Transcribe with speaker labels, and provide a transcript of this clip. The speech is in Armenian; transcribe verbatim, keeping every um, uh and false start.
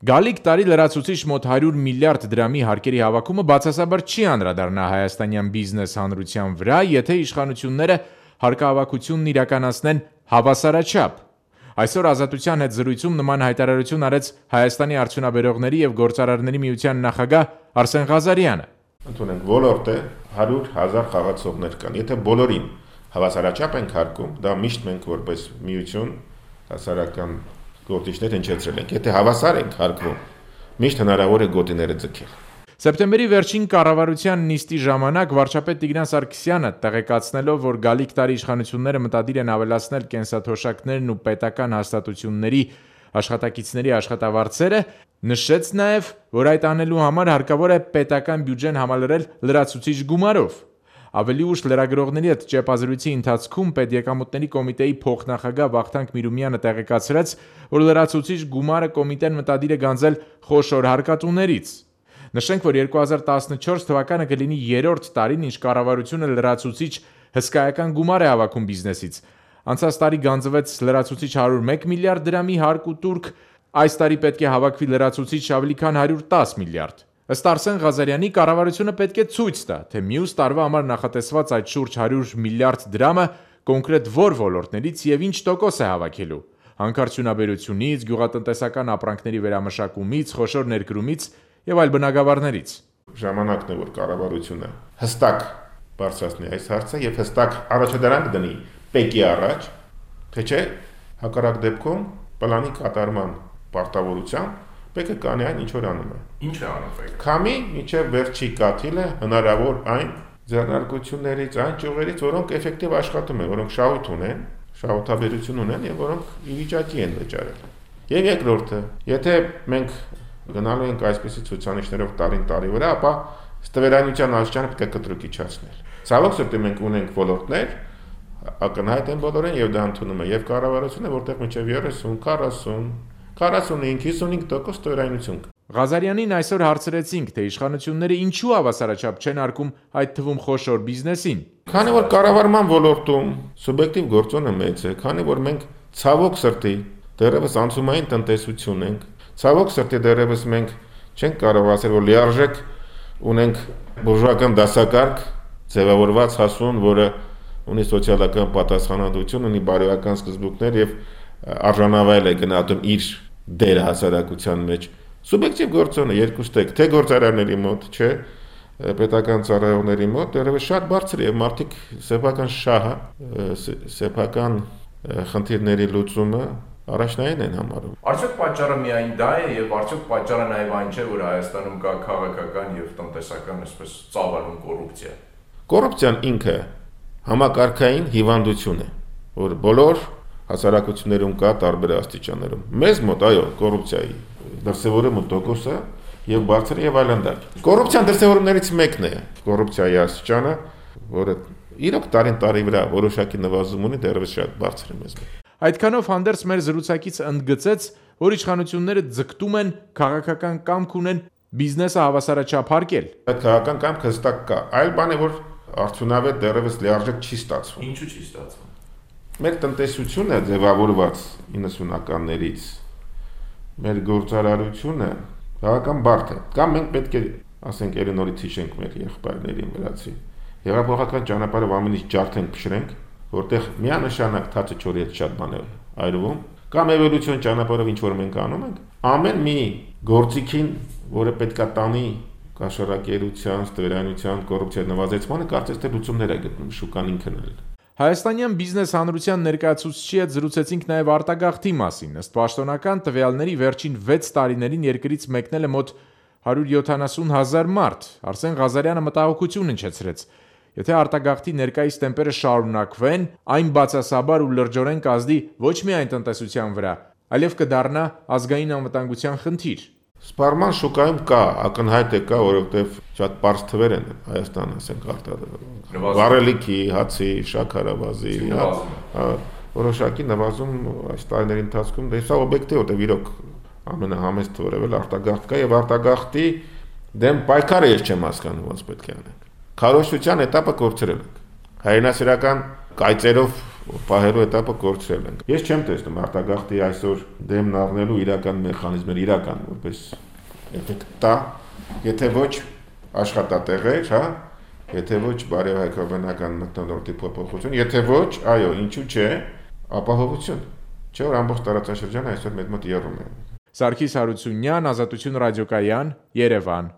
Speaker 1: Գալիք տարի լրացուցիչ մոտ հարյուր միլիարդ դրամի հարկերի հավաքումը բացասաբար չի անդրադառնա հայաստանյան բիզնես հանրության վրա, եթե իշխանությունները հարկահավաքությունն իրականացնեն հավասարաչափ։ Այսօր Ազատության հետ զրույցում նման հայտարարություն արեց Հայաստանի արդյունաբերողների և գործարարների միության նախագահ Արսեն Ղազարյանը։
Speaker 2: Ընդունենք ոլորտը հարյուր հազար խաղացողներ կան, եթե բոլորին հավասարաչափ ենք հարկում, դա միշտ մենք որպես միություն հասարակական գործիչներ հնչեցրել ենք, եթե հավասար ենք հարկվում, միշտ հնարավոր է գոտիները ձգել։
Speaker 1: Սեպտեմբերի վերջին կառավարության նիստի ժամանակ վարչապետ Տիգրան Սարգսյանը տեղեկացնելով, որ գալիք տարի իշխանությունները մտադիր են ավելացնել կենսաթոշակներն ու պետական հաստատությունների աշխատակիցների աշխատավարձերը, նշեց նաև, որ այդ անելու համար հարկավոր է պետական բյուջեն համալրել լրացուցիչ գումարով։ Ավելի ուշ լրագրողների հետ ճեպազրույցի ընթացքում Պետեկամուտների կոմիտեի փոխնախագահ Վախթանգ Միրումյանը տեղեկացրեց, որ լրացուցիչ գումարը կոմիտեն մտադիր է գանձել խոշոր հարկատուներից։ Նշենք, որ երկու հազար տասնչորս թվականը կլինի երրորդ տարին, ինչ կառավարությունը լրացուցիչ հսկայական գումար է հավաքում բիզնեսից։ Անցած տարի գանձվեց լրացուցիչ հարյուր մեկ միլիարդ դրամի հարկ ու տուրք, այս տարի պետք է հավաքվի լրացուցիչ ավելի քան հարյուր տասը միլիարդ։ Ըստ Արսեն Ղազարյանի, կառավարությունը պետք է ցույց տա, թե մյուս տարվա համար նախատեսված այդ շուրջ հարյուր միլիարդ դրամը կոնկրետ որ ոլորտներից եւ ինչ տոկոս է հավաքելու։ Հանքարդյունաբերությունից, գյուղատնտեսական ապրանքների վերամշակումից, խոշոր ներդրումից եւ այլ բնագավառներից։
Speaker 2: Ժամանակն է, որ կառավարությունը հստակ բարձրացնի այս հարցը եւ հստակ առաջադրանք դնի ՊԵԿ-ի առաջ, թե չէ հակառակ դեպքում պլանի կատարման պարտավորությամբ ՊԵԿ-ը կանի այն ինչ որ անում է։
Speaker 3: Ինչ է անում ՊԵԿ-ը։
Speaker 2: Քամի միջև վերջի կաթիլը հնարավոր այն ձեռնարկություններից, այն ճյուղերից, որոնք էֆեկտիվ աշխատում են, որոնք շահույթ ունեն, շահութաբերություն ունեն եւ որոնք ի վիճակի են վճարել։ Եվ երկրորդը, եթե մենք գնալու ենք այսպիսի ցուցանիշներով տարին տարի վրա, ապա ստվերայնության աստիճանը պետք է կտրուկ իջացնել։ Ցավոք սրտի մենք ունենք ոլորտներ, ակնհայտ են բոլորին եւ դա ընդունում է եւ կառավարությունը, որտեղ մինչեւ երեսուն, քառասուն, քառասունհինգ, հիսունհինգ տոկոս ստվերայնություն կա։
Speaker 1: Ղազարյանին այսօր հարցրեցինք, թե իշխանությունները ինչու հավասարաչափ չեն արկում այդ թվում խոշոր բիզնեսին։
Speaker 2: Քանի որ կառավարման ոլորտում սուբյեկտիվ գործոնը մեծ է, քանի որ մենք ցավոք սրտի դեռևս անցումային տնտեսություն ենք, ցավոք սրտի դեռևս մենք չենք կարող ասել, որ լիարժեք ունենք բուրժուական դասակարգ, ձևավորված հասուն, որը ունի սոցիալական պատասխանատվություն, ունի բարոյական սկզբունքներ եւ արժանավայել է գնահատում իր դերը հասարակության մեջ։ Սուբյեկտիվ գործոնը երկուստ է, թե գործարարների մոտ, չէ, պետական ծառայողների մոտ դեռևս շատ բարձր է եւ մարդիկ սեփական շահը, սեփական խնդիրների լուծումը առաջնային են համարում։
Speaker 3: Արդյոք պատճառը միայն դա է եւ արդյոք պատճառը նաեւ այն չէ, որ Հայաստանում կա քաղաքական եւ տնտեսական այսպես ծավալուն կոռուպցիա։
Speaker 2: Կոռուպցիան ինքը համակարգային հիվանդություն է, որ բոլոր հասարակություններում կա տարբեր աստիճաններում։ Մեզ մոտ այո, կոռուպցիայի դրսևորումը տոկոսը եւ բարձր եւ այլանդակ։ Կոռուպցիան դրսևորումներից մեկն է կոռուպցիայի աստիճանը, որը իրոք տարին տարի վրա որոշակի նվազում ունի, դեռևս շատ բարձր է մեզ մոտ։
Speaker 1: Այդքանով հանդերձ մեր զրուցակիցը ընդգծեց, որ իշխանությունները ձգտում են քաղաքական կամք ունեն բիզնեսը հավասարաչափ հարկել։
Speaker 2: Այդ քաղաքական կամքը հստակ կա, այլ բան է, որ արդյունավետ դեռևս լիարժեք չի ստացվում։
Speaker 3: Ինչու չի ստացվում։
Speaker 2: Մեր տնտեսությունը ձևավորված իննսունականներից, մեր գործարարությունը քաղաքական բարդ է։ Կամ մենք պետք է, ասենք, ելի նորից հիշենք մեր եղբայրներին վրացի։ Հեղափոխական ճանապարհով ամեն ինչ ջարդենք, փշրենք, որտեղ միանշանակ թացը չորի հետ շատ բան է այրվում, կամ էվոլյուցիոն ճանապարհով ինչ որ մենք անում ենք, ամեն մի գործիքին, որը պետքա տանի կաշառակերության, ստվերայնության, կոռուպցիայի նվազեցմանը, կարծես թե լուծումներ է գտնում շուկան ինքն էլ։
Speaker 1: Հայաստանյան բիզնես հանրության ներկայացուցիչի հետ զրուցեցինք նաև արտագաղթի մասին։ Ըստ պաշտոնական տվյալների վերջին վեց տարիներին երկրից մեկնել է մոտ հարյուր յոթանասուն հազար մարդ։ Արսեն Ղազարյանը մտահոգություն հնչեցրեց։ Եթե արտագաղթի ներկայիս տեմպերը շարունակվեն, այն բացասաբար ու լրջորեն կազդի ոչ միայն տնտեսության վրա, այլև կդառնա ազգային անվտանգության խնդիր։
Speaker 2: Սպառման շուկայում կա, ակնհայտ է կա, որովհետև շատ պարզ թվեր են Հայաստանը, ասենք, արտադրում։ Վառելիքի, հացի, շաքարավազի, որոշակի նվազում այս տարիների ընթացքում, դե սա օբյեկտիվ է, որտեղ իրոք ամենահամեստ որևէ արտագաղթ կա եւ արտագաղթի դեմ պայքարը ես չեմ հասկանում ոնց պետք է անենք։ Քարոզչության էտապը կորցրել ենք։ Հայրենասիրական կայծերով պահելու этаպը կորցրել ենք։ Ես չեմ տեսնում արտագաղթի այսօր դեմն առնելու իրական մեխանիզմներ, իրական որպես էֆեկտ տա, եթե ոչ աշխատատեղեր, հա, եթե ոչ բարեհայկաբանական մթնոլորտի փոփոխություն, եթե ոչ, այո, ինչու՞ չէ, ապահովություն։ Չէ՞ որ ամբողջ տարածաշրջանը այսօր մեծ մոտ եռում է։
Speaker 1: Սարգիս Հարությունյան, Ազատություն ռադիոկայան, Երևան։